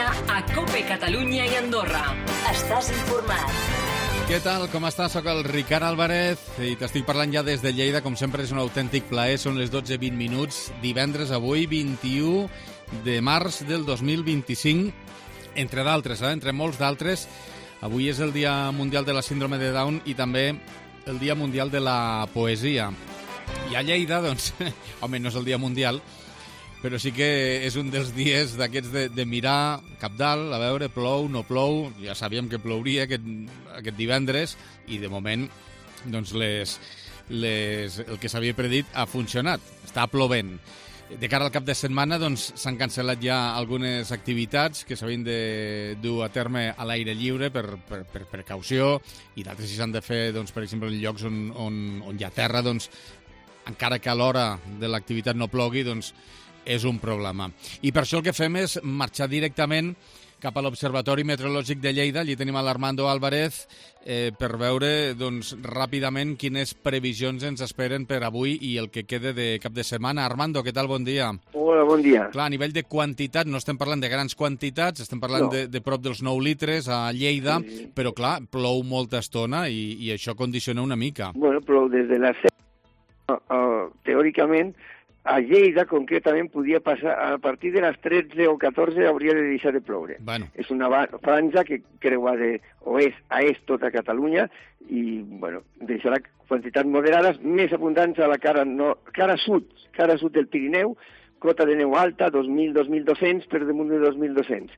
setmana a COPE Catalunya i Andorra. Estàs informat. Què tal? Com estàs? Soc el Ricard Álvarez i t'estic parlant ja des de Lleida. Com sempre és un autèntic plaer. Són les 12:20 minuts. Divendres, avui, 21 de març del 2025. Entre d'altres, entre molts d'altres. Avui és el Dia Mundial de la Síndrome de Down i també el Dia Mundial de la Poesia. I a Lleida, doncs, home, no és el Dia Mundial, però sí que és un dels dies d'aquests de mirar cap dalt, a veure, plou, no plou. Ja sabíem que plouria aquest divendres i, de moment, doncs el que s'havia predit ha funcionat. Està plovent. De cara al cap de setmana doncs, s'han cancel·lat ja algunes activitats que s'havien de dur a terme a l'aire lliure per precaució i d'altres si s'han de fer, doncs, per exemple, en llocs on hi ha terra, doncs, encara que a l'hora de l'activitat no plogui, doncs, és un problema. I per això el que fem és marxar directament cap a l'Observatori Meteorològic de Lleida. Allí tenim a l'Armando Álvarez per veure doncs, ràpidament quines previsions ens esperen per avui i el que quede de cap de setmana. Armando, què tal? Bon dia. Hola, bon dia. Clar, a nivell de quantitat, no estem parlant de grans quantitats, estem parlant de prop dels 9 litres a Lleida, sí. Però clar, plou molta estona i això condiciona una mica. Bueno, plou des de les 7, teòricament, a Lleida, concretament, podia passar a partir de les 13 o 14 hauria de deixar de ploure. Bueno. És una franja que creua d'oest a est tota Catalunya i, bueno, deixarà quantitats moderades més abundants a la cara sud del Pirineu, cota de neu alta, 2.000-2.200 per damunt de 2.200.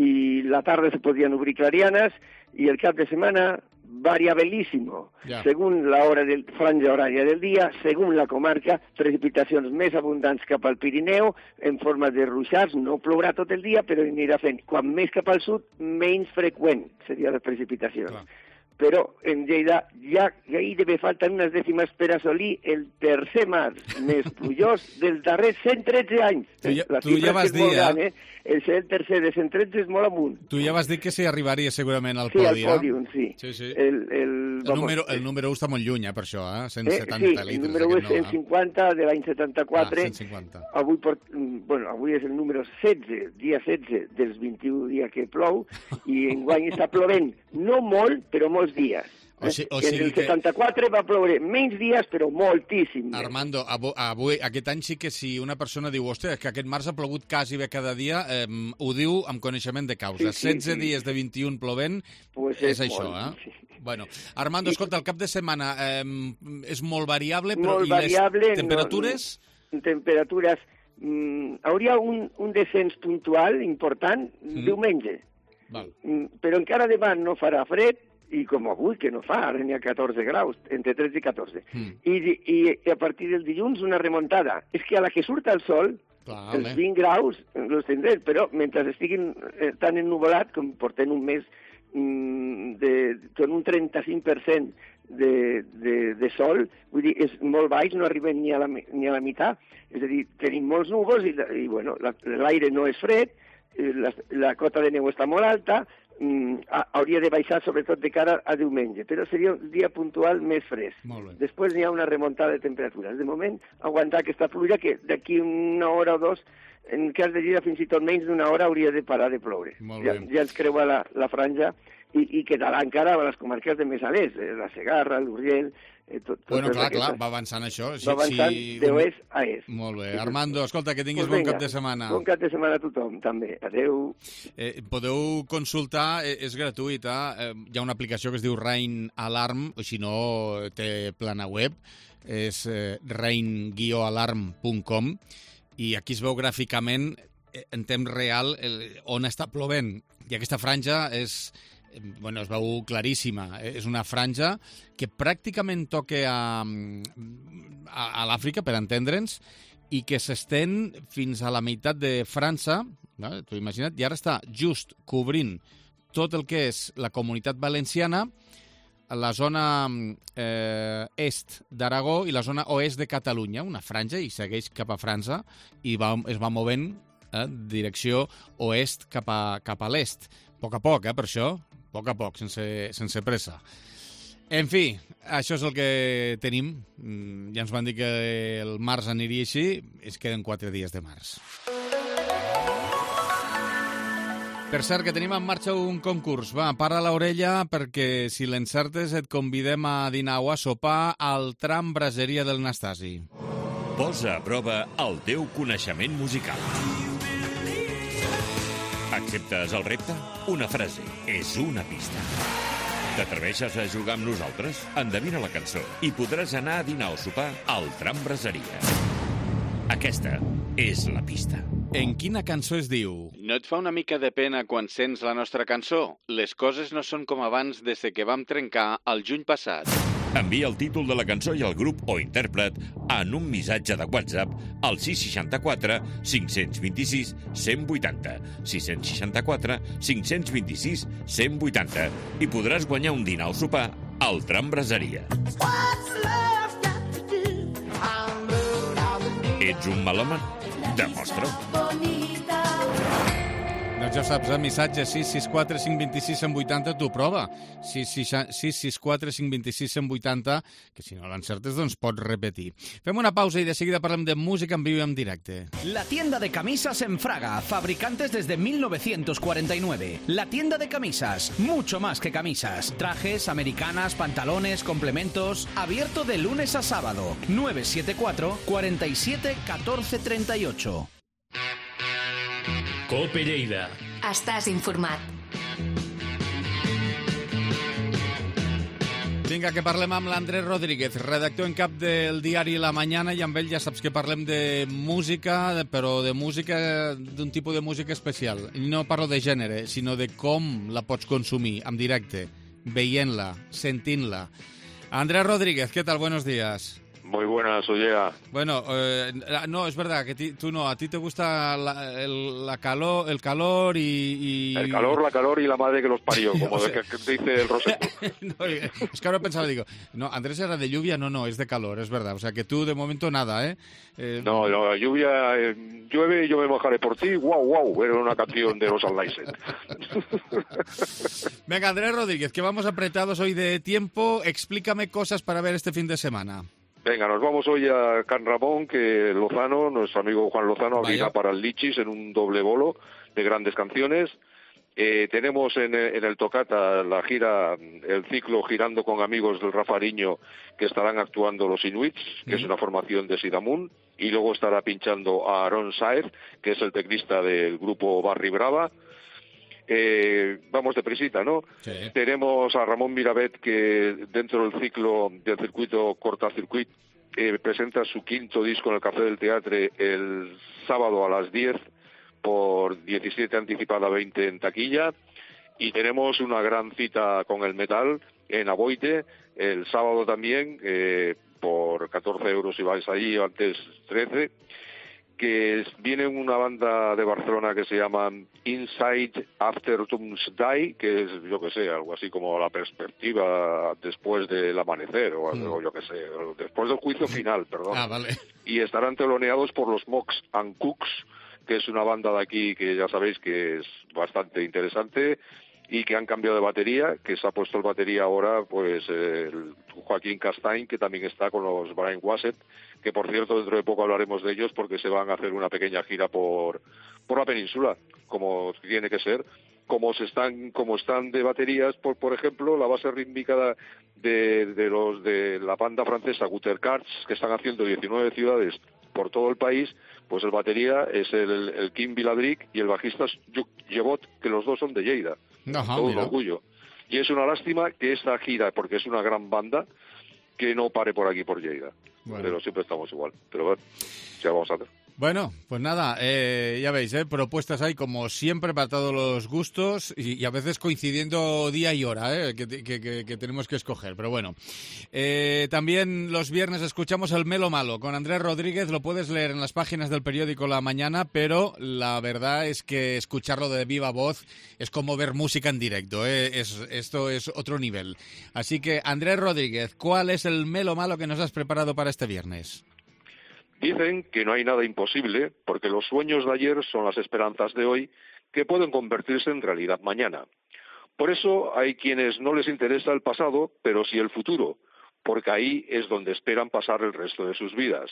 I la tarda se podien obrir clarianes i el cap de setmana variabilísimo, según la hora del franja horària del dia, según la comarca, precipitacions més abundants cap al Pirineu, en forma de ruixats, no plourà tot el dia, però anirà fent. Quan més cap al sud, menys freqüent seria la precipitació. Però en Lleida ja gairebé falten unes dècimes per assolir el tercer març més plujós dels darrers 113 anys. Tu ja vas dir, El ser el tercer de 113 és molt amunt. Tu ja vas dir que s'hi arribaria segurament al podi. Sí, al pòdium, sí. El número 1 està molt lluny, per això, 170 litres. Sí, el número 1 és 150 de l'any 74. 150. Avui és el número 16, dia 16 dels 21 dies que plou, i enguany està plovent, no molt, però molts dies. O sigui en el 74 va ploure menys dies, però moltíssim. Armando, avui, aquest any sí que si una persona diu, hòstia, que aquest març ha plogut quasi bé cada dia, ho diu amb coneixement de causa. 16 dies de 21 plovent, pues és això, Sí. Bueno, Armando, escolta, el cap de setmana és molt variable, però molt variable, les temperatures? Temperatures, hauria un descens puntual important diumenge. Val. Però encara demà no farà fred, i com avui, que no fa, ara n'hi ha 14 graus, entre 13 i 14. I a partir del dilluns una remuntada. És que a la que surt el sol, els 20 graus els tindrem, però mentre estiguin tan ennuvolat, com portem un mes con un 35% de sol, vull dir, és molt baix, no arribem ni a la meitat. És a dir, tenim molts núvols i bueno, l'aire no és fred, la cota de neu està molt alta, hauria de baixar sobretot de cara a diumenge, però seria un dia puntual més fresc. Després n'hi ha una remuntada de temperatures. De moment, aguantar aquesta pluja que d'aquí una hora o dos, en cas de Lleida fins i tot menys d'una hora hauria de parar de ploure. Ja ens creua la franja i quedarà encara a les comarques de més a l'est, la Segarra, l'Urgell... Bueno, clar, va avançant això. Va avançant d'oest a est. Molt bé. Armando, escolta, que tinguis bon cap de setmana. Bon cap de setmana a tothom, també. Adéu. Podeu consultar, és gratuïta, hi ha una aplicació que es diu Rain Alarm, o si no, té plana web, és rain-alarm.com, i aquí es veu gràficament, en temps real, on està plovent. I aquesta franja es veu claríssima. És una franja que pràcticament toca a l'Àfrica, per entendre'ns, i que s'estén fins a la meitat de França, t'ho imagina't, i ara està just cobrint tot el que és la Comunitat Valenciana, la zona est d'Aragó i la zona oest de Catalunya, una franja, i segueix cap a França, i es va movent direcció oest cap a l'est. A poc, per això, a poc, sense pressa. En fi, això és el que tenim. Ja ens van dir que el març aniria així, es queden 4 dies de març. Per cert, que tenim en marxa un concurs. Va, para l'orella, perquè si l'encertes et convidem a dinar o a sopar al tram Braseria del Nastasi. Posa a prova el teu coneixement musical. Acceptes el repte? Una frase és una pista. T'atreveixes a jugar amb nosaltres? Endevina la cançó i podràs anar a dinar o sopar al tram Braseria. Aquesta és la pista. En quina cançó es diu? No et fa una mica de pena quan sents la nostra cançó? Les coses no són com abans des que vam trencar el juny passat. Envia el títol de la cançó i el grup o intèrpret en un missatge de WhatsApp al 664 526 180, 664 526 180 i podràs guanyar un dinar o sopar al tram Braseria. Ets un melòman? Demostra-ho. Doncs ja saps, missatge 664 526 180, tu prova. 664 526 180, que si no l'encertes, doncs pots repetir. Fem una pausa i de seguida parlem de música en viu i en directe. La tienda de camisas en Fraga, fabricantes desde 1949. La tienda de camisas, mucho más que camisas. Trajes, americanas, pantalones, complementos. Abierto de lunes a sábado. 974 47 14 38. Cope Lleida. Estàs informat. Vinga, que parlem amb l'Andrés Rodríguez, redactor en cap del diari La Mañana, i amb ell ja saps que parlem de música, però de música, d'un tipus de música especial. No parlo de gènere, sinó de com la pots consumir en directe, veient-la, sentint-la. Andrés Rodríguez, ¿qué tal? Buenos días. Muy buenas, Ollea. Bueno, no, es verdad que tú no, a ti te gusta el calor y... El calor, la calor y la madre que los parió, como o sea, que dice el Roseto. No, es que ahora pensaba, digo, no, Andrés era de lluvia, no, es de calor, es verdad. O sea, que tú de momento nada, ¿eh? No, la lluvia, llueve y yo me mojaré por ti, wow, era una canción de los Anlaisen. Venga, Andrés Rodríguez, que vamos apretados hoy de tiempo, explícame cosas para ver este fin de semana. Venga, nos vamos hoy a Can Ramón, que Lozano, nuestro amigo Juan Lozano, abrirá para el Lichis en un doble bolo de grandes canciones. Tenemos en el Tocata la gira, el ciclo Girando con Amigos del Rafariño, que estarán actuando los Inuits, que es una formación de Sidamun, y luego estará pinchando a Aaron Saez, que es el teclista del grupo Barry Brava. Vamos deprisita, ¿no? Sí. Tenemos a Ramón Mirabet, que dentro del ciclo del circuito Cortacircuit presenta su quinto disco en el Café del Teatre el sábado a las 10 por 17 anticipada 20 en taquilla, y tenemos una gran cita con el metal en Aboite el sábado también por 14 euros si vais allí, antes 13, que viene una banda de Barcelona que se llama Inside After Doomsday, que es, yo que sé, algo así como la perspectiva después del amanecer, o algo, yo que sé, después del juicio final, perdón. Vale. Y estarán teloneados por los Mox and Cooks, que es una banda de aquí que ya sabéis que es bastante interesante, y que han cambiado de batería, que se ha puesto el batería ahora, pues, el Joaquín Castain, que también está con los Brian Wassett, que por cierto dentro de poco hablaremos de ellos porque se van a hacer una pequeña gira por la península, como tiene que ser. Como están de baterías, por ejemplo, la base rítmica de los de la banda francesa Gutter Cards, que están haciendo 19 ciudades por todo el país, pues el batería es el Kim Viladric y el bajista es Lluc Llevot, que los dos son de Lleida. Ajá, todo un orgullo. Y es una lástima que esta gira, porque es una gran banda, que no pare por aquí, por Lleida. Bueno. Pero siempre estamos igual. Pero bueno, ya vamos a hacer. Bueno, pues nada, ya veis, propuestas hay como siempre para todos los gustos y a veces coincidiendo día y hora que tenemos que escoger, pero bueno. También los viernes escuchamos el Melo Malo con Andrés Rodríguez, lo puedes leer en las páginas del periódico La Mañana, pero la verdad es que escucharlo de viva voz es como ver música en directo, esto es otro nivel. Así que, Andrés Rodríguez, ¿cuál es el Melo Malo que nos has preparado para este viernes? Dicen que no hay nada imposible porque los sueños de ayer son las esperanzas de hoy que pueden convertirse en realidad mañana. Por eso hay quienes no les interesa el pasado, pero sí el futuro, porque ahí es donde esperan pasar el resto de sus vidas.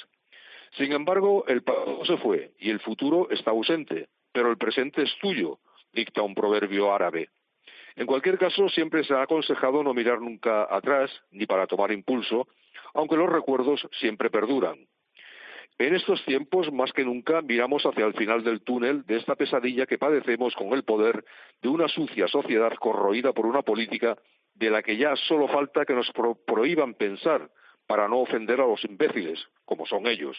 Sin embargo, el pasado se fue y el futuro está ausente, pero el presente es tuyo, dicta un proverbio árabe. En cualquier caso, siempre se ha aconsejado no mirar nunca atrás, ni para tomar impulso, aunque los recuerdos siempre perduran. En estos tiempos, más que nunca, miramos hacia el final del túnel de esta pesadilla que padecemos con el poder de una sucia sociedad corroída por una política de la que ya solo falta que nos prohíban pensar para no ofender a los imbéciles, como son ellos.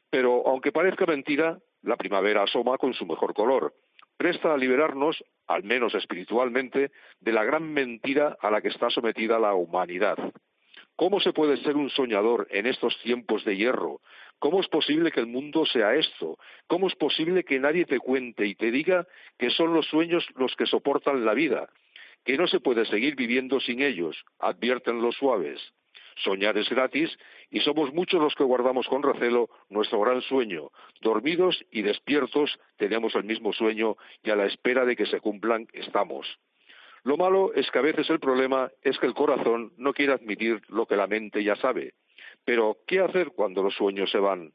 Pero, aunque parezca mentira, la primavera asoma con su mejor color. Presta a liberarnos, al menos espiritualmente, de la gran mentira a la que está sometida la humanidad. ¿Cómo se puede ser un soñador en estos tiempos de hierro? ¿Cómo es posible que el mundo sea esto? ¿Cómo es posible que nadie te cuente y te diga que son los sueños los que soportan la vida? Que no se puede seguir viviendo sin ellos, advierten los suaves. Soñar es gratis y somos muchos los que guardamos con recelo nuestro gran sueño. Dormidos y despiertos tenemos el mismo sueño y a la espera de que se cumplan estamos. Lo malo es que a veces el problema es que el corazón no quiere admitir lo que la mente ya sabe. Pero, ¿qué hacer cuando los sueños se van?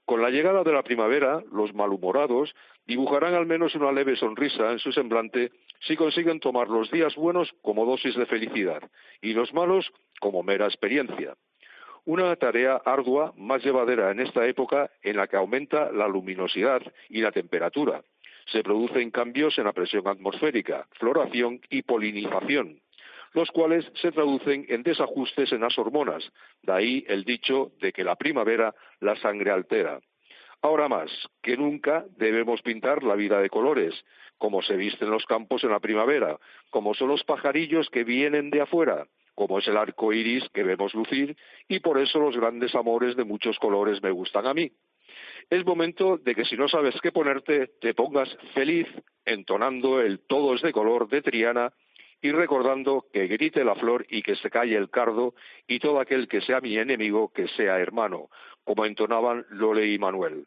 Con la llegada de la primavera, los malhumorados dibujarán al menos una leve sonrisa en su semblante si consiguen tomar los días buenos como dosis de felicidad y los malos como mera experiencia. Una tarea ardua, más llevadera en esta época en la que aumenta la luminosidad y la temperatura. Se producen cambios en la presión atmosférica, floración y polinización, los cuales se traducen en desajustes en las hormonas, de ahí el dicho de que la primavera la sangre altera. Ahora más que nunca debemos pintar la vida de colores, como se visten los campos en la primavera, como son los pajarillos que vienen de afuera, como es el arco iris que vemos lucir, y por eso los grandes amores de muchos colores me gustan a mí. Es momento de que si no sabes qué ponerte, te pongas feliz entonando el Todo es de color de Triana y recordando que grite la flor y que se calle el cardo y todo aquel que sea mi enemigo que sea hermano, como entonaban Lole y Manuel.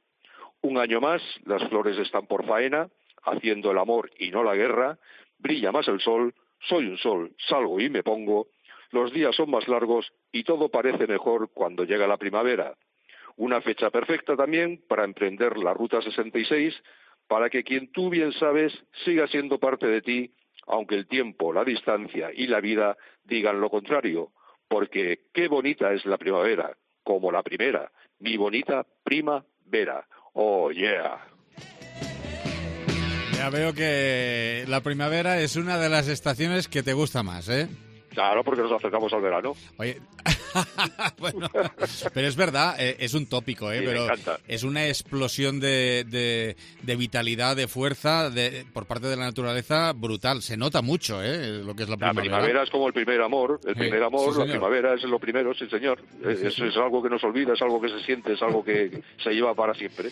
Un año más, las flores están por faena, haciendo el amor y no la guerra, brilla más el sol, soy un sol, salgo y me pongo, los días son más largos y todo parece mejor cuando llega la primavera. Una fecha perfecta también para emprender la Ruta 66, para que quien tú bien sabes siga siendo parte de ti, aunque el tiempo, la distancia y la vida digan lo contrario, porque qué bonita es la primavera, como la primera, mi bonita primavera. Oh, yeah. Ya veo que la primavera es una de las estaciones que te gusta más, ¿eh? Claro, porque nos acercamos al verano. Oye, bueno, pero es verdad, es un tópico, Sí, pero me encanta. es una explosión de vitalidad, de fuerza por parte de la naturaleza brutal. Se nota mucho, lo que es la primavera. La primavera es como el primer amor. El primer amor, sí, la primavera es lo primero, sí, señor. Sí, Eso es algo que no se olvida, es algo que se siente, es algo que se lleva para siempre.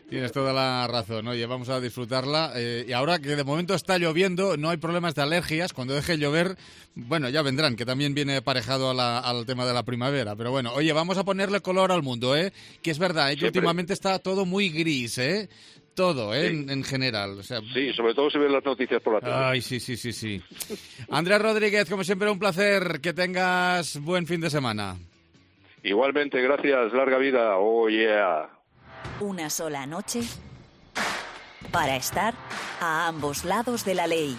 Tienes toda la razón, oye, vamos a disfrutarla. Y ahora que de momento está lloviendo, no hay problemas de alergias. Cuando deje llover, bueno, ya vendrán, que también viene aparejado al tema de la primavera. Pero bueno, oye, vamos a ponerle color al mundo, que es verdad, que últimamente está todo muy gris, todo, sí. en general. O sea, sí, sobre todo si ven las noticias por la tele. Ay, sí. Andrés Rodríguez, como siempre, un placer. Que tengas buen fin de semana. Igualmente, gracias. Larga vida. Oh, yeah. Una sola noche para estar a ambos lados de la ley.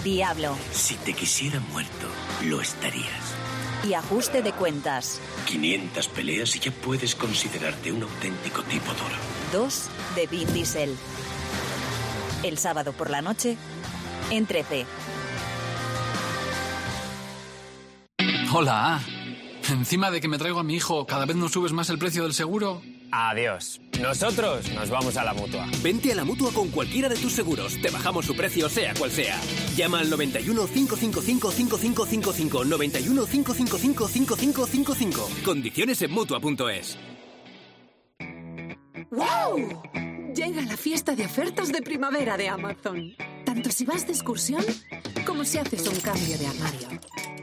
Diablo. Si te quisiera muerto, lo estarías. Y ajuste de cuentas. 500 peleas y ya puedes considerarte un auténtico tipo duro. 2 de Vin Diesel. El sábado por la noche, en 13. Hola. Encima de que me traigo a mi hijo, ¿cada vez nos subes más el precio del seguro? Adiós. Nosotros nos vamos a la Mutua. Vente a la Mutua con cualquiera de tus seguros. Te bajamos su precio, sea cual sea. Llama al 91 555 5555. 91 555 5555. Condiciones en Mutua.es. ¡Wow! Llega la fiesta de ofertas de primavera de Amazon. Tanto si vas de excursión como si haces un cambio de armario.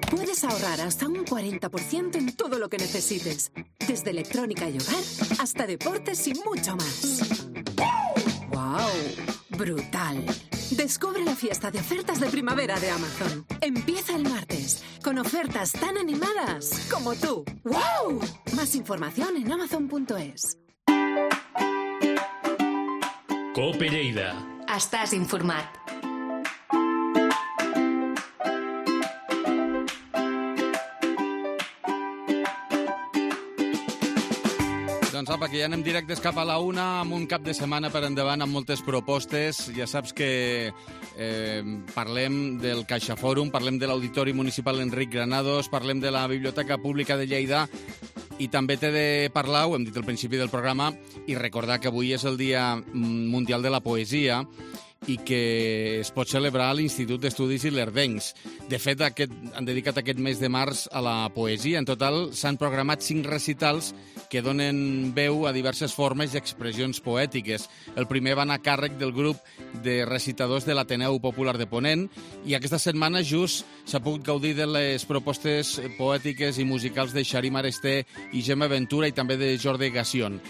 Puedes ahorrar hasta un 40% en todo lo que necesites. Desde electrónica y hogar hasta deportes y mucho más. ¡Wow! ¡Brutal! Descubre la fiesta de ofertas de primavera de Amazon. Empieza el martes con ofertas tan animadas como tú. ¡Wow! Más información en Amazon.es. Cope Lleida, estàs informat. Doncs apa, que ja anem directes cap a la una, amb un cap de setmana per endavant, amb moltes propostes. Ja saps que parlem del CaixaFòrum, parlem de l'Auditori Municipal Enric Granados, parlem de la Biblioteca Pública de Lleida, i també t'he de parlar, ho hem dit al principi del programa, i recordar que avui és el Dia Mundial de la Poesia i que es pot celebrar a l'Institut d'Estudis Ilerdencs. De fet, han dedicat aquest mes de març a la poesia. En total, s'han programat 5 recitals que donen veu a diverses formes i expressions poètiques. El primer va anar a càrrec del grup de recitadors de l'Ateneu Popular de Ponent, i aquesta setmana just s'ha pogut gaudir de les propostes poètiques i musicals de Xarim Aresté i Gemma Ventura, i també de Jordi Gassion.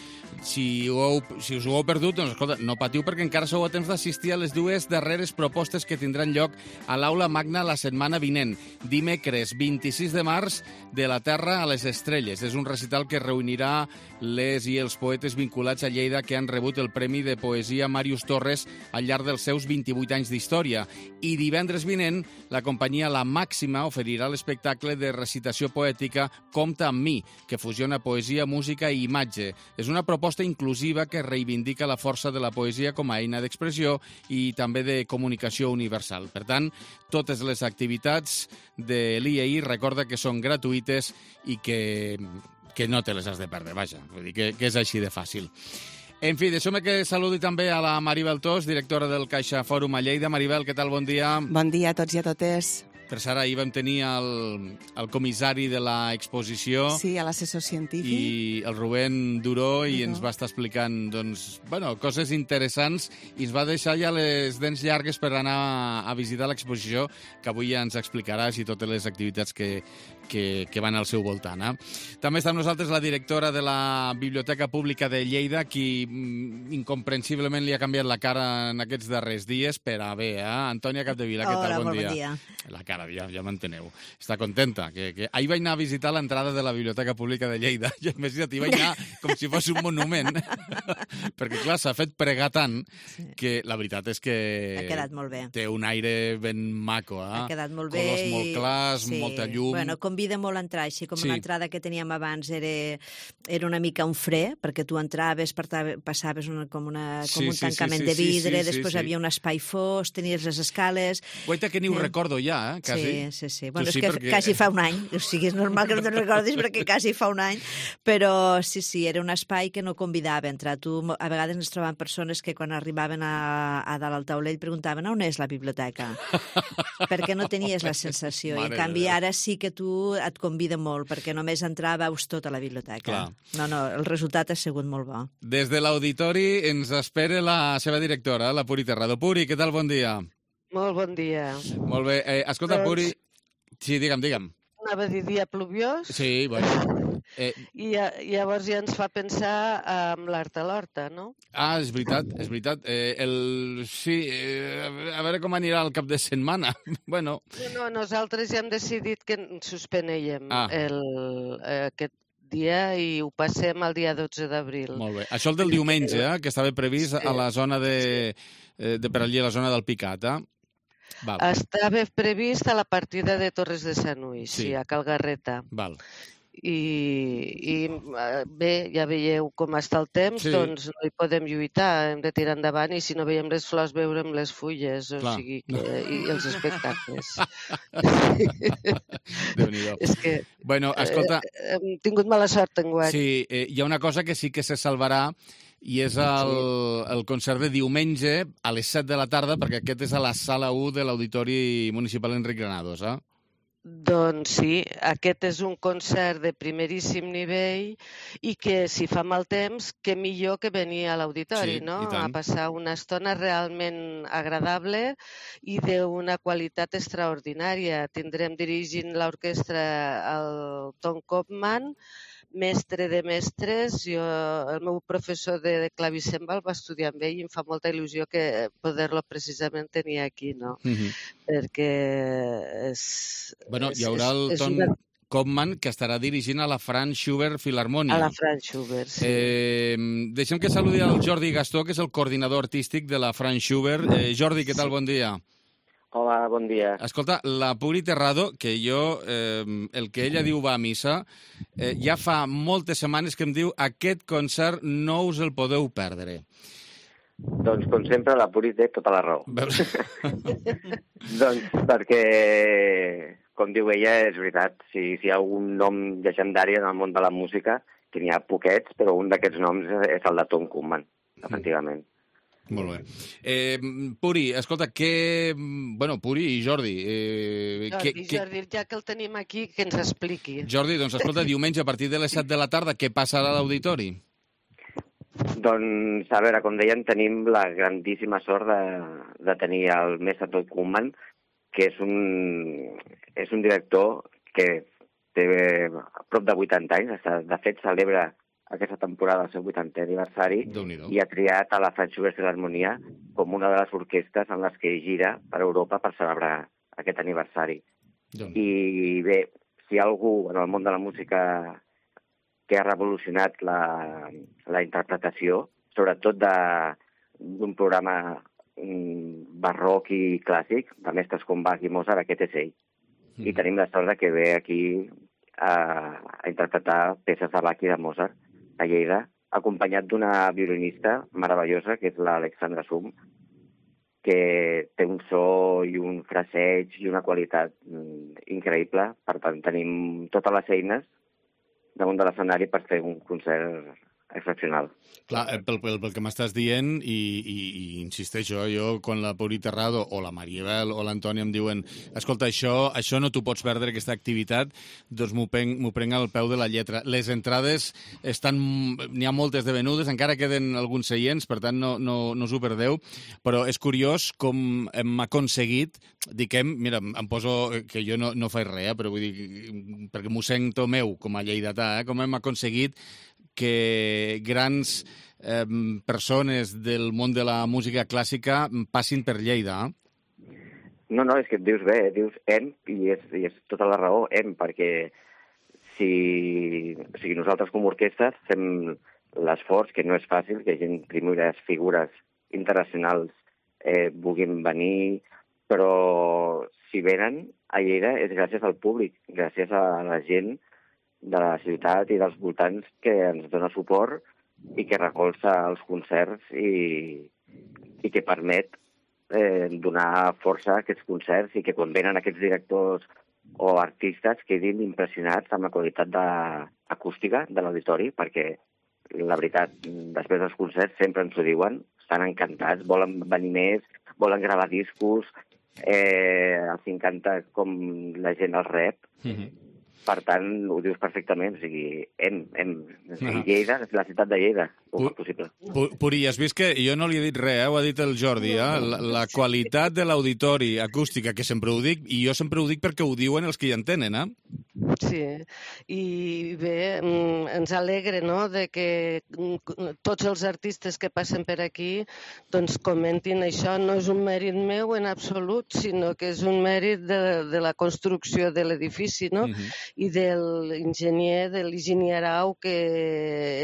Si us ho heu perdut, doncs escolta, no patiu, perquè encara sou a temps d'assistir a les 2 darreres propostes que tindran lloc a l'Aula Magna la setmana vinent, dimecres 26 de març, de la Terra a les Estrelles. És un recital que reunirà les i els poetes vinculats a Lleida que han rebut el Premi de Poesia Màrius Torres al llarg dels seus 28 anys d'història. I divendres vinent, la companyia La Màxima oferirà l'espectacle de recitació poètica Compta amb mi, que fusiona poesia, música i imatge. És una proposta inclusiva que reivindica la força de la poesia com a eina d'expressió i també de comunicació universal. Per tant, totes les activitats de l'IEI recorda que són gratuïtes i que no te les has de perdre, vaja. Vull dir que és així de fàcil. En fi, deixeu-me que saludi també a la Maribel Tos, directora del CaixaFòrum a Lleida. Maribel, què tal? Bon dia. Bon dia a tots i a totes. Per cert, ahir vam tenir el comissari de l'exposició. Sí, a l'assessor científic. I el Rubén Duró, i ens va estar explicant coses interessants, i ens va deixar ja les dents llargues per anar a visitar l'exposició, que avui ja ens explicaràs, i totes les activitats que van al seu voltant. També està amb nosaltres la directora de la Biblioteca Pública de Lleida, qui incomprensiblement li ha canviat la cara en aquests darrers dies per a bé. Antònia Capdevila, què tal? Bon dia. La cara, ja m'enteneu. Està contenta. Que ahir vaig anar a visitar l'entrada de la Biblioteca Pública de Lleida, i imagina't, hi vaig anar com si fos un monument, perquè clar, s'ha fet pregar tant que la veritat és que ha quedat molt bé. Té un aire ben maco. Ha quedat molt bé. Colors molt clars, molta llum. Bueno, convida molt a entrar, així com l'entrada que teníem abans era una mica un fre, perquè tu entraves, passaves com un tancament de vidre, després havia un espai fos, tenies les escales... Guaita que ni ho recordo ja, quasi. Sí. Bueno, és que quasi fa un any, o sigui, és normal que no te'n recordis perquè quasi fa un any, però sí, era un espai que no convidava a entrar. Tu, a vegades ens trobàvem persones que quan arribaven a dalt al taulell preguntaven on és la biblioteca? Perquè no tenies la sensació. I en canvi ara sí que tu et convida molt, perquè només entrar veus tota la biblioteca. No, el resultat ha sigut molt bo. Des de l'auditori ens espera la seva directora, la Puri Terrado. Puri, què tal? Bon dia. Molt bon dia. Molt bé. Escolta, Puri... Sí, digue'm. Anava a dir dia pluviós. Sí, bueno. I llavors ja ens fa pensar en l'art a l'horta, no? És veritat. Sí, a veure com anirà el cap de setmana. Bueno. No, nosaltres ja hem decidit que suspeneiem aquest dia i ho passem al dia 12 d'abril. Molt bé. Això el del diumenge, que estava previst a la zona de per allí, a la zona del Picat, Estava previst a la partida de Torres de Sanui, a Cal Garreta. Val. I bé, ja veieu com està el temps, doncs no hi podem lluitar, hem de tirar endavant, i si no veiem les flors, veurem les fulles, o sigui, i els espectacles. Déu-n'hi-do. És que bueno, escolta, hem tingut mala sort enguany. Sí, hi ha una cosa que sí que se salvarà, i és el concert de diumenge a les 7 de la tarda, perquè aquest és a la sala 1 de l'Auditori Municipal Enric Granados, Doncs sí, aquest és un concert de primeríssim nivell i que si fa mal temps, que millor que venir a l'auditori, no? A passar una estona realment agradable i d'una qualitat extraordinària. Tindrem dirigint l'orquestra el Tom Kopman, mestre de mestres. El meu professor de clavicèmbal va estudiar amb ell i em fa molta il·lusió que poder-lo precisament tenir aquí, no? Perquè Bueno, hi haurà el Koopman, que estarà dirigint a la Franz Schubert Philharmonia. A la Franz Schubert, sí. Deixem que saludi el Jordi Gastó, que és el coordinador artístic de la Franz Schubert. Jordi, què tal? Bon dia. Hola, bon dia. Escolta, la Puri Terrado, que jo, el que ella diu va a missa, ja fa moltes setmanes que em diu aquest concert no us el podeu perdre. Doncs, com sempre, la Puri té tota la raó. Doncs perquè, com diu ella, és veritat. Si hi ha algun nom llegendari en el món de la música, que n'hi ha poquets, però un d'aquests noms és el de Tom Koopman, efectivament. Molt bé. Puri, escolta, Puri i Jordi... Jordi, ja que el tenim aquí, que ens expliqui. Jordi, doncs escolta, diumenge a partir de les 7 de la tarda, què passarà a l'auditori? Doncs, a veure, com deien, tenim la grandíssima sort de tenir el mestre Tom Koopman, que és un director que té prop de 80 anys, de fet celebra aquesta temporada el seu 80è aniversari i ha triat a la Franz Schubert Philharmonia com una de les orquestres en les que gira per Europa per celebrar aquest aniversari. I bé, si hi ha algú en el món de la música que ha revolucionat la interpretació, sobretot d'un programa barroc i clàssic, de mestres com Bach i Mozart, aquest és ell. I tenim la sort que ve aquí a interpretar peces de Bach i de Mozart a Lleida, acompanyat d'una violinista meravellosa, que és l'Alexandra Sum, que té un so i un fraseig i una qualitat increïble. Per tant, tenim totes les eines damunt de l'escenari per fer un concert excepcional. Clar, pel que m'estàs dient, i insisteixo, jo, quan la Puri Terrado o la Maribel o l'Antònia em diuen escolta, això no t'ho pots perdre, aquesta activitat, doncs m'ho prenc al peu de la lletra. Les entrades n'hi ha moltes de venudes, encara queden alguns seients, per tant no us ho perdeu, però és curiós com hem aconseguit, mira, em poso, que jo no faig res, però vull dir, perquè m'ho sento meu com a lleidatà, com hem aconseguit que grans persones del món de la música clàssica passin per Lleida. No, és que et dius bé, dius hem, i és tota la raó, hem, perquè si nosaltres com a orquestra fem l'esforç, que no és fàcil, que gent, primeres figures internacionals vulguin venir, però si venen a Lleida és gràcies al públic, gràcies a la gent de la ciutat i dels voltants que ens dona suport i que recolza els concerts i que permet donar força a aquests concerts i que quan venen aquests directors o artistes quedin impressionats amb la qualitat acústica de l'auditori, perquè la veritat, després dels concerts sempre ens ho diuen, estan encantats, volen venir més, volen gravar discos, els encanta com la gent els rep. Per tant, ho dius perfectament, o sigui, Lleida, la ciutat de Lleida, com és possible. Puri, has vist que jo no li he dit res, ho ha dit el Jordi, la qualitat de l'auditori acústica, que sempre ho dic, i jo sempre ho dic perquè ho diuen els que hi entenen, Sí, i bé, ens alegra, no?, de que tots els artistes que passen per aquí doncs comentin això. No és un mèrit meu en absolut, sinó que és un mèrit de la construcció de l'edifici, no?, i de l'enginyer Arau, que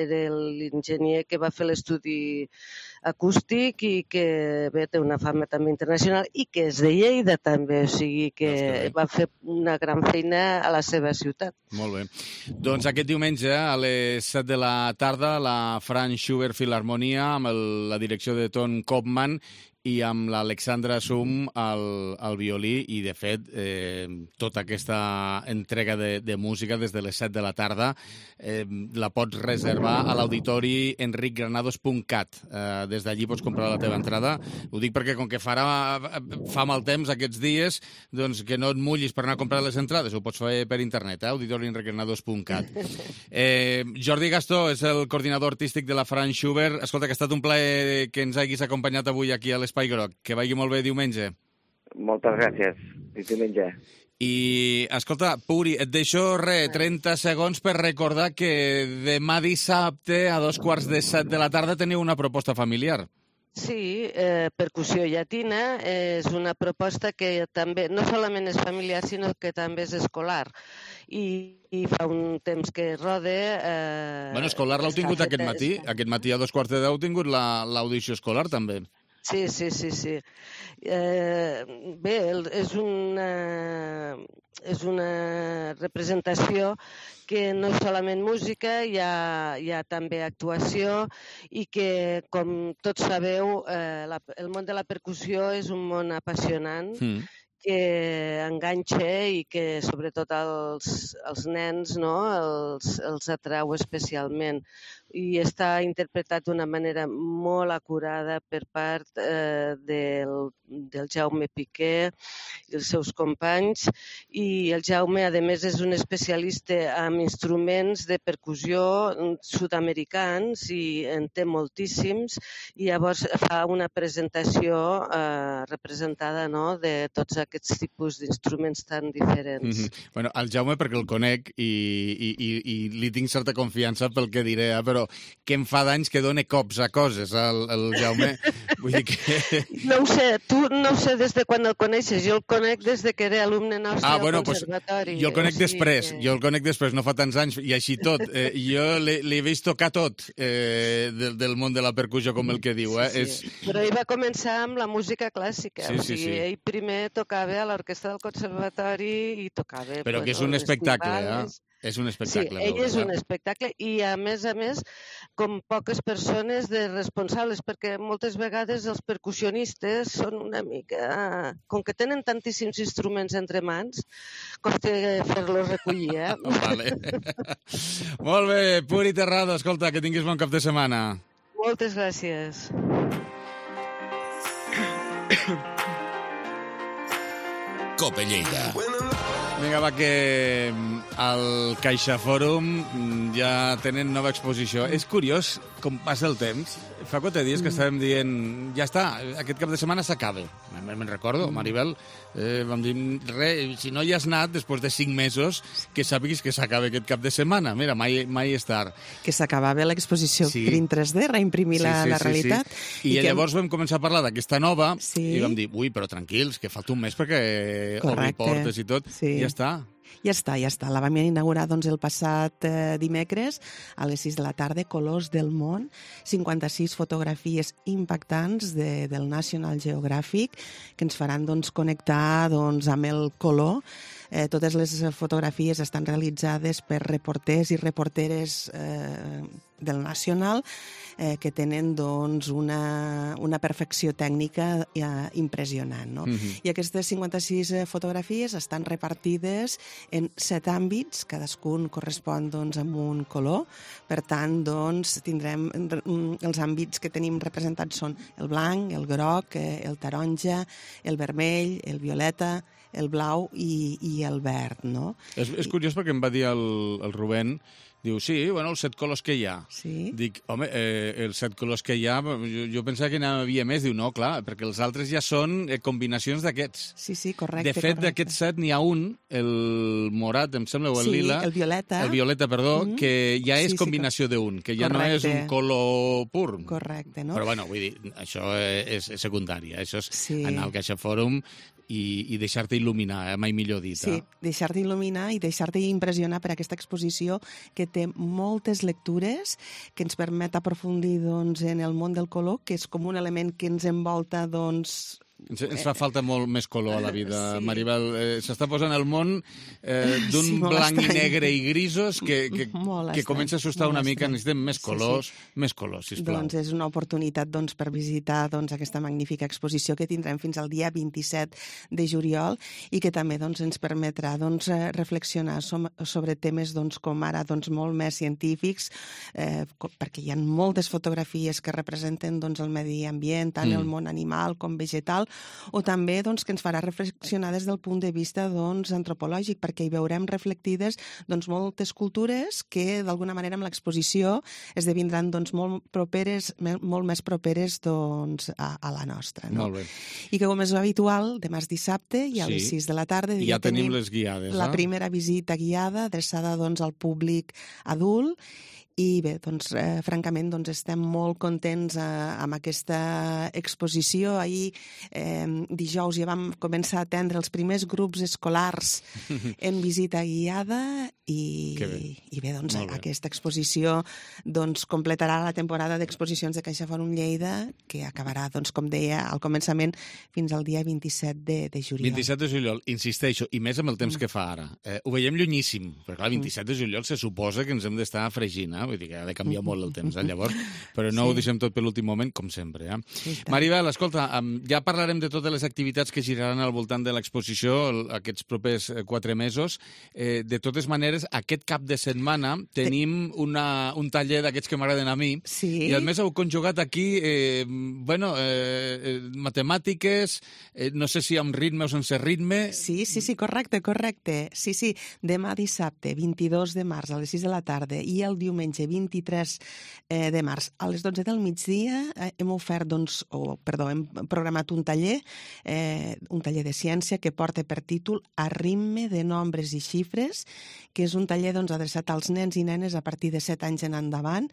era l'enginyer que va fer l'estudi acústic i que bé, té una fama també internacional i que és de Lleida també, o sigui que va fer una gran feina a la seva ciutat. Molt bé. Doncs aquest diumenge a les 7 de la tarda la Franz Schubert Philharmonia amb la direcció de Tom Koopman i amb l'Alexandra Sum al violí i, de fet, tota aquesta entrega de música des de les 7 de la tarda la pots reservar a l'auditori enricgranados.cat. Des d'allí pots comprar la teva entrada. Ho dic perquè, com que fa mal temps aquests dies, doncs que no et mullis per anar a comprar les entrades. Ho pots fer per internet, auditori enricgranados.cat. Jordi Gastó és el coordinador artístic de la Franz Schubert. Escolta, que ha estat un plaer que ens hagis acompanyat avui aquí a l'Espai Groc. Que vagi molt bé diumenge. Moltes gràcies. Fins diumenge. I, escolta, Puri, et deixo 30 segons per recordar que demà dissabte a 2:15 de la tarda teniu una proposta familiar. Sí, percussió llatina és una proposta que també no solament és familiar, sinó que també és escolar. I fa un temps que roda... Bueno, escolar l'heu tingut aquest matí. Aquest matí a 2:15 heu tingut l'audició escolar, també. Sí. Bé, és una representació que no és solament música, hi ha també actuació i que, com tots sabeu, el món de la percussió és un món apassionant que enganxa i que sobretot els nens els atrau especialment. I està interpretat d'una manera molt acurada per part del Jaume Piqué i els seus companys. I el Jaume, a més, és un especialista en instruments de percussió sud-americans i en té moltíssims. I llavors fa una presentació representada de tots aquests tipus d'instruments tan diferents. Bueno, el Jaume, perquè el conec i li tinc certa confiança pel que diré, però que em fa d'anys que dona cops a coses, el Jaume. Vull dir que... No ho sé, tu no ho sé des de quan el coneixes, jo el conec des de que era alumne nostre al conservatori. Jo el conec després, no fa tants anys, i així tot. Jo l'he vist tocar tot del món de la percussió, com el que diu. Però ell va començar amb la música clàssica, ell primer tocava a l'orquestra del conservatori i tocava... Però que és un espectacle, És un espectacle. Sí, ell és un espectacle i, a més, com poques persones de responsables, perquè moltes vegades els percussionistes són una mica... Com que tenen tantíssims instruments entre mans, costa fer-los recollir, Vale. Molt bé, Puri Terrado, escolta, que tinguis bon cap de setmana. Moltes gràcies. Cope Lleida. Vinga, va, que al Caixa Fòrum ja tenen nova exposició. És curiós com passa el temps. Fa 4 dies que estàvem dient ja està, aquest cap de setmana s'acaba. Me'n recordo, Maribel, vam dir, si no hi has anat després de 5 mesos, que sàpiguis que s'acaba aquest cap de setmana. Mira, mai és tard. Que s'acabava l'exposició Print 3D, reimprimir la realitat. I llavors vam començar a parlar d'aquesta nova i vam dir, però tranquils, que falta un mes perquè obri portes i tot. Ja està. Ja està. La vam inaugurar el passat dimecres a les 6 de la tarda, Colors del món, 56 fotografies impactants del National Geographic que ens faran connectar amb el color. Totes les fotografies estan realitzades per reporters i reporteres del National que tenen una perfecció tècnica impressionant. I aquestes 56 fotografies estan repartides en 7 àmbits, cadascun correspon amb un color. Per tant, tindrem els àmbits que tenim representats són el blanc, el groc, el taronja, el vermell, el violeta, el blau i el verd, no? És curiós perquè em va dir el Rubén, diu, sí, els 7 colors que hi ha. Sí. Dic, home, els 7 colors que hi ha, jo pensava que n'hi havia més. Diu, no, clar, perquè els altres ja són combinacions d'aquests. Sí, correcte. De fet, d'aquests 7 n'hi ha un, el morat, em sembla, o el lila. Sí, el violeta. El violeta, perdó, que ja és combinació d'un, que ja no és un color pur. Correcte, no? Però, bueno, vull dir, això és secundari. Això és anar al Caixa Fòrum i deixar-te il·luminar, mai millor dit. Sí, deixar-te il·luminar i deixar-te impressionar per aquesta exposició que té moltes lectures, que ens permet aprofundir en el món del color, que és com un element que ens envolta, Ens fa falta molt més color a la vida, Maribel. S'està posant el món d'un blanc i negre i grisos que comença a assustar una mica. Necessitem més colors, sisplau. Doncs és una oportunitat per visitar aquesta magnífica exposició que tindrem fins al dia 27 de juliol i que també ens permetrà reflexionar sobre temes com ara molt més científics, perquè hi ha moltes fotografies que representen el medi ambient, tant el món animal com vegetal, o també que ens farà reflexionar des del punt de vista antropològic, perquè hi veurem reflectides moltes cultures que d'alguna manera amb l'exposició esdevindran molt més properes a la nostra. Molt bé. I que com és habitual, demà és dissabte i a les 6 de la tarda ja tenim les guiades. La primera visita guiada adreçada al públic adult I bé, doncs, francament, doncs, estem molt contents amb aquesta exposició. Ahir, dijous, ja vam començar a atendre els primers grups escolars en visita guiada i bé, doncs, aquesta exposició doncs, completarà la temporada d'exposicions de CaixaForum Lleida, que acabarà, doncs, com deia, al començament fins al dia 27 de juliol. 27 de juliol, insisteixo, i més amb el temps que fa ara. Ho veiem llunyíssim, però clar, 27 de juliol se suposa que ens hem d'estar fregint, vull dir que ha de canviar molt el temps, llavors, però no ho deixem tot per l'últim moment, com sempre. Maribel, escolta, ja parlarem de totes les activitats que giraran al voltant de l'exposició aquests propers 4 mesos. De totes maneres, aquest cap de setmana tenim un taller d'aquests que m'agraden a mi, i a més heu conjugat aquí, matemàtiques, no sé si amb ritme o sense ritme. Sí, correcte. Sí, demà dissabte, 22 de març, a les 6 de la tarda, i el diumenge 23 de març, a les 12 del migdia, hem programat un taller de ciència que porta per títol A ritme de nombres i xifres, que és un taller adreçat als nens i nenes a partir de 7 anys en endavant,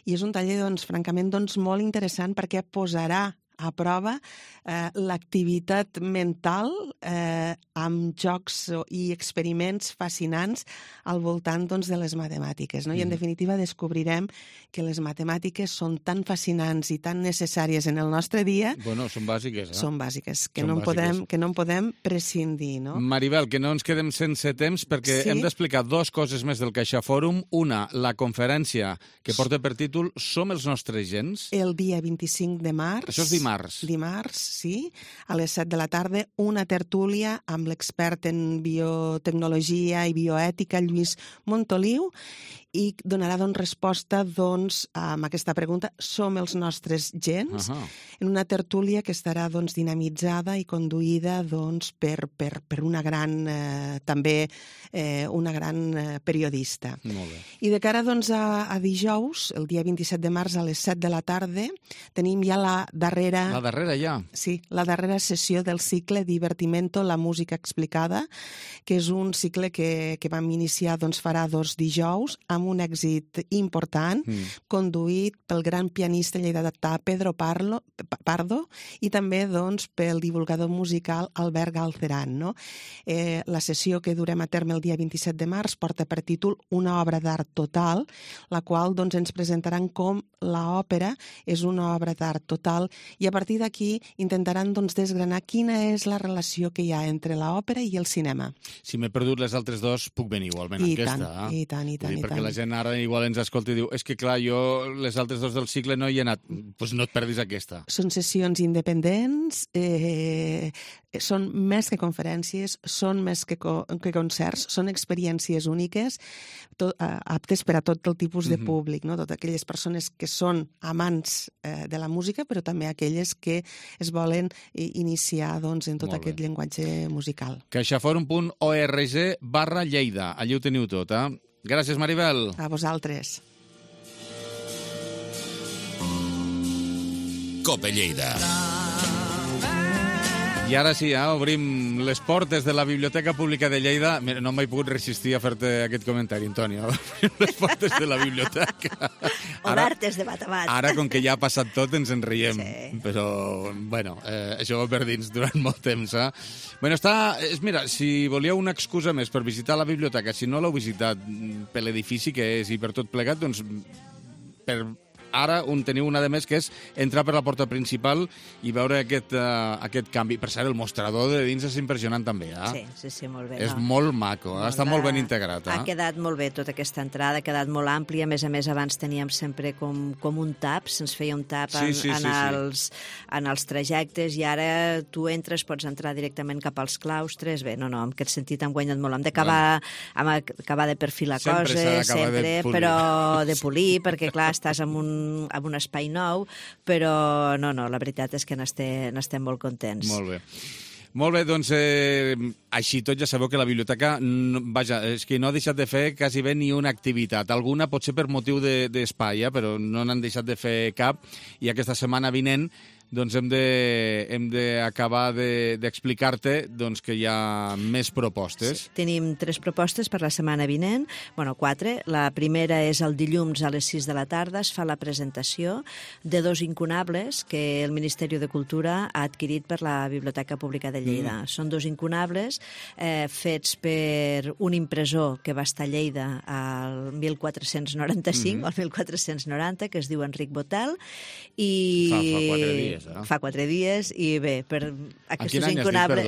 i és un taller, francament, molt interessant perquè posarà a prova l'activitat mental amb jocs i experiments fascinants al voltant de les matemàtiques. I, en definitiva, descobrirem que les matemàtiques són tan fascinants i tan necessàries en el nostre dia. Bueno, són bàsiques. Són bàsiques, que no en podem prescindir. Maribel, que no ens quedem sense temps perquè hem d'explicar 2 coses més del CaixaForum. Una, la conferència que porta per títol Som els nostres gens. El dia 25 de març. Això és dimarts. Dimarts, sí. A les 7 de la tarda, una tertúlia amb l'expert en biotecnologia i bioètica, Lluís Montoliu, i donarà resposta a aquesta pregunta: som els nostres gens? En una tertúlia que estarà dinamitzada i conduïda per una gran, també una gran periodista. Molt bé. I de cara a dijous, el dia 27 de març a les 7 de la tarda, tenim ja la darrera... La darrera ja? Sí, la darrera sessió del cicle Divertimento, la música explicada, que és un cicle que vam iniciar farà 2 dijous, amb un èxit important, conduït pel gran pianista lleidatà Pedro Pardo i també pel divulgador musical Albert Galceran. La sessió que durem a terme el dia 27 de març porta per títol Una obra d'art total, la qual ens presentaran com l'òpera és una obra d'art total, i a partir d'aquí intentaran desgranar quina és la relació que hi ha entre l'òpera i el cinema. Si m'he perdut les altres 2, puc venir igualment a aquesta. I tant. Perquè la gent ara igual ens escolta i diu és que clar, jo les altres 2 del cicle no hi he anat. Doncs no et perdis aquesta. Són sessions independents, són més que conferències, són més que concerts, són experiències úniques, aptes per a tot el tipus de públic, totes aquelles persones que són amants de la música, però també aquelles que es volen iniciar en tot aquest llenguatge musical. caixaforum.org/Lleida. Allí ho teniu tot, Gràcies, Maribel. A vosaltres. Cope Lleida. I ara sí, obrim les portes de la Biblioteca Pública de Lleida. Mira, no m'he pogut resistir a fer-te aquest comentari, Antonio. Obrim les portes de la biblioteca. Obertes de bat a bat. Ara, com que ja ha passat tot, ens en riem. Sí. Però, això va per dins durant molt temps. Mira, si volíeu una excusa més per visitar la biblioteca, si no l'heu visitat per l'edifici que és i per tot plegat, doncs ara teniu una de més, que és entrar per la porta principal i veure aquest canvi. Per cert, el mostrador de dins és impressionant també. Sí, molt bé. És molt maco, està molt ben integrat. Ha quedat molt bé tota aquesta entrada, ha quedat molt àmplia. A més, abans teníem sempre com un tap, se'ns feia un tap en els trajectes, i ara tu entres, pots entrar directament cap als claustres. Bé, en aquest sentit hem guanyat molt. Hem d'acabar de perfilar coses, però de polir, perquè clar, estàs amb un espai nou, però la veritat és que n'estem molt contents. Molt bé. Molt bé, doncs, així tot ja sabeu que la biblioteca, és que no ha deixat de fer quasi bé ni una activitat. Alguna potser per motiu d'espai, però no n'han deixat de fer cap, i aquesta setmana vinent doncs hem d'acabar d'explicar-te que hi ha més propostes. Sí, tenim 3 propostes per la setmana vinent, 4. La primera és el dilluns a les 6 de la tarda, es fa la presentació de 2 incunables que el Ministeri de Cultura ha adquirit per la Biblioteca Pública de Lleida. Són 2 incunables fets per un impressor que va estar a Lleida al 1495 o al 1490, que es diu Enric Botel, i fa 4 dies, fa 4 dies, i bé, per aquests incunables...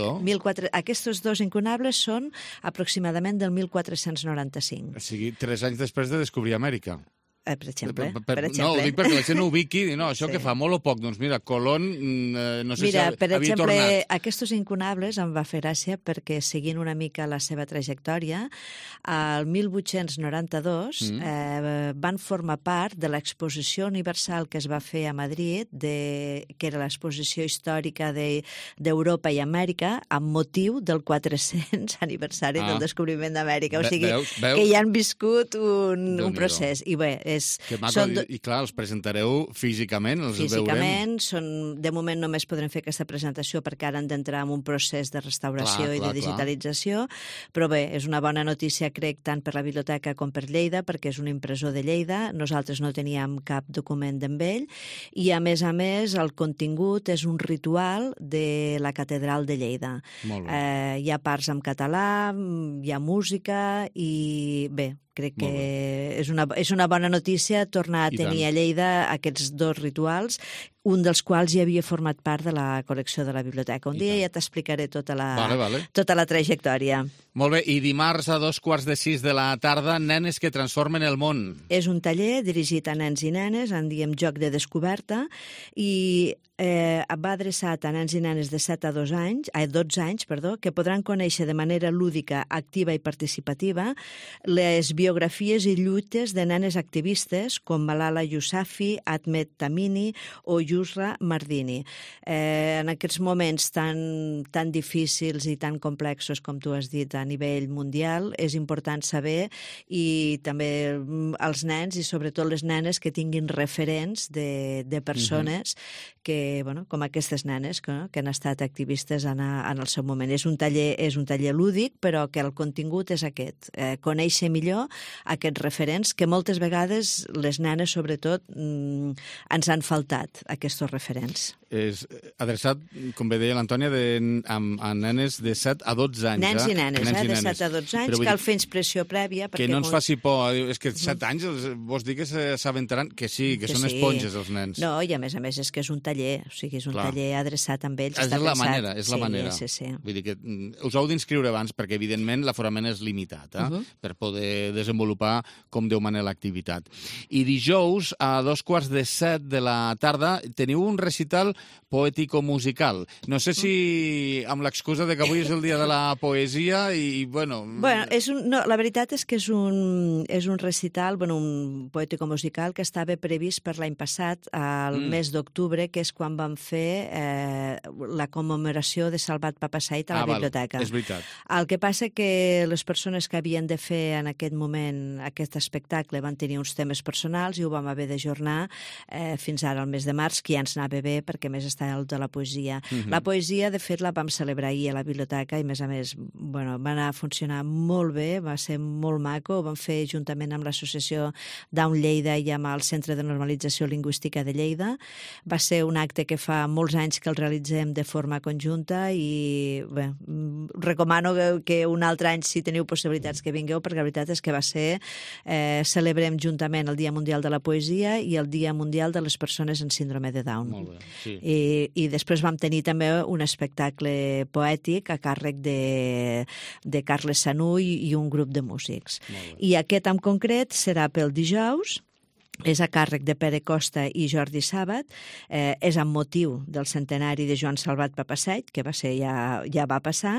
Aquests 2 incunables són aproximadament del 1495. O sigui, 3 anys després de descobrir Amèrica. Per exemple. No, ho dic perquè la gent no ubiqui, això que fa molt o poc. Doncs mira, Colón, no sé si havia tornat. Per exemple, aquests incunables em va fer gràcia perquè, seguint una mica la seva trajectòria, al 1892 van formar part de l'exposició universal que es va fer a Madrid, que era l'exposició històrica d'Europa i Amèrica, amb motiu del 400 aniversari del descobriment d'Amèrica. O sigui, que ja han viscut un procés. I bé, que maco, i clar, els presentareu físicament, els veurem. De moment només podrem fer aquesta presentació perquè ara han d'entrar en un procés de restauració i de digitalització, però bé, és una bona notícia, crec, tant per la biblioteca com per Lleida, perquè és un impressor de Lleida, nosaltres no teníem cap document d'en ell, i a més, el contingut és un ritual de la catedral de Lleida. Hi ha parts en català, hi ha música, i bé, crec que és una bona notícia tornar a tenir a Lleida aquests 2 rituals, un dels quals ja havia format part de la col·lecció de la biblioteca. Un dia ja t'explicaré tota la trajectòria. Molt bé, i dimarts a 5:45 de la tarda, Nenes que transformen el món. És un taller dirigit a nens i nenes, en diem joc de descoberta, i va adreçat a nens i nenes de 12 anys, que podran conèixer de manera lúdica, activa i participativa les biografies i lluites de nenes activistes com Malala Yousafzai, Ahmed Tamimi o Yusra Mardini. En aquests moments tan difícils i tan complexos, com tu has dit, a nivell mundial, és important saber, i també els nens i sobretot les nenes que tinguin referents de persones com aquestes nenes que han estat activistes en el seu moment. És un taller lúdic, però que el contingut és aquest, conèixer millor aquests referents, que moltes vegades les nenes, sobretot, ens han faltat, aquests referents. És adreçat, com bé deia l'Antònia, a nenes de 7 a 12 anys. Nens i nenes, de 7 a 12 anys, cal fer inspressió prèvia. Que no ens faci por, és que 7 anys vols dir que s'aventaran, que sí, que són esponges els nens. No, i a més és que és un taller, o sigui, és un taller adreçat amb ells. És la manera. Sí. Vull dir que us heu d'inscriure abans, perquè evidentment l'aforament és limitat, per poder desenvolupar com Déu mana l'activitat. I dijous, a 6:45 de la tarda, teniu un recital poètico musical. No sé si amb l'excusa de que avui és el dia de la poesia i, bueno... La veritat és que és un recital, un poètico musical que estava previst per l'any passat, al mes d'octubre, que és quan vam fer la commemoració de Salvat Papasseit a la biblioteca. És veritat. El que passa que les persones que havien de fer en aquest moment aquest espectacle van tenir uns temes personals i ho vam haver d'ajornar fins ara, al mes de març, que ja ens anava bé, perquè més està el de la poesia. La poesia, de fet, la vam celebrar ahir a la biblioteca i, a més, va anar a funcionar molt bé, va ser molt maco, ho vam fer juntament amb l'associació Down Lleida i amb el Centre de Normalització Lingüística de Lleida. Va ser un acte que fa molts anys que el realitzem de forma conjunta i bé, recomano que un altre any, si teniu possibilitats, que vingueu, perquè la veritat és que va ser... Celebrem juntament el Dia Mundial de la Poesia i el Dia Mundial de les Persones en Síndrome de Down. Molt bé, sí. I després vam tenir també un espectacle poètic a càrrec de Carles Sanú i un grup de músics. I aquest en concret serà pel dijous, és a càrrec de Pere Costa i Jordi Sàbat, és amb motiu del centenari de Joan Salvat Papasseit, que ja va passar,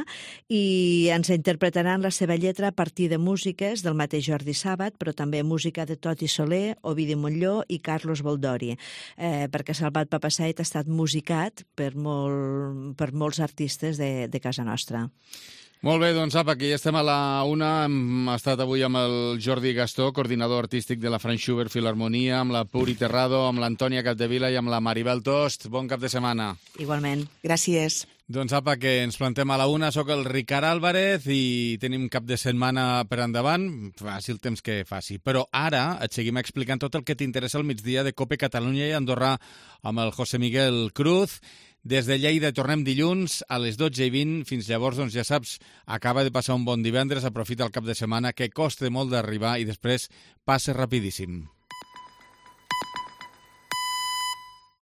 i ens interpretaran la seva lletra a partir de músiques del mateix Jordi Sàbat, però també música de Toti Soler, Ovidi Montllor i Carlos Boldori, perquè Salvat Papasseit ha estat musicat per molts artistes de casa nostra. Molt bé, doncs apa, aquí estem a la una. Hem estat avui amb el Jordi Gastó, coordinador artístic de la Franz Schubert Filharmonia, amb la Puri Terrado, amb l'Antònia Capdevila i amb la Maribel Tost. Bon cap de setmana. Igualment. Gràcies. Doncs apa, que ens plantem a la una. Soc el Ricard Álvarez i tenim cap de setmana per endavant. Faci el temps que faci. Però ara et seguim explicant tot el que t'interessa al migdia de COPE Catalunya i Andorra amb el José Miguel Cruz. Des de Lleida tornem dilluns a les 12:20. Fins llavors, doncs ja saps, acaba de passar un bon divendres, aprofita el cap de setmana, que costa molt d'arribar i després passa rapidíssim.